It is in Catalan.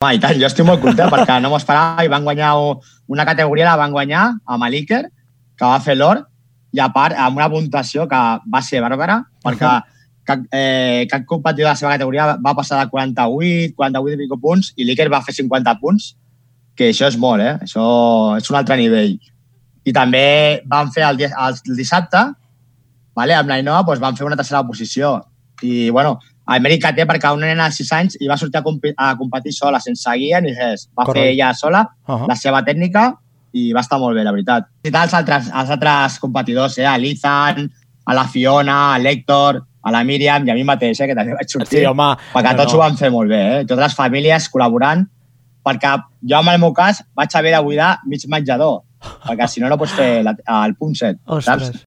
I tant, jo estic molt content perquè no m'ho esperava i van guanyar una categoria, la van guanyar amb l'Iker, que va fer l'or, i a part amb una puntuació que va ser bàrbara, perquè cap competidor de la seva categoria va passar de 48 i pico punts i l'Iker va fer 50 punts, que això és molt, això és un altre nivell. I també van fer el dissabte, amb l'Ainoa van fer una tercera posició. I, bueno, el mèrit que té perquè una nena de 6 anys i va sortir a competir sola, sense guia ni res. Va fer ella sola la seva tècnica i va estar molt bé, la veritat. I els altres competidors, a l'Ethan, a la Fiona, a l'Hèctor, a la Míriam i a mi mateix, que també vaig sortir, perquè tots ho van fer molt bé, totes les famílies col·laborant, perquè jo, en el meu cas, vaig haver de buidar mig menjador, perquè si no, no pots fer el punt 7, saps?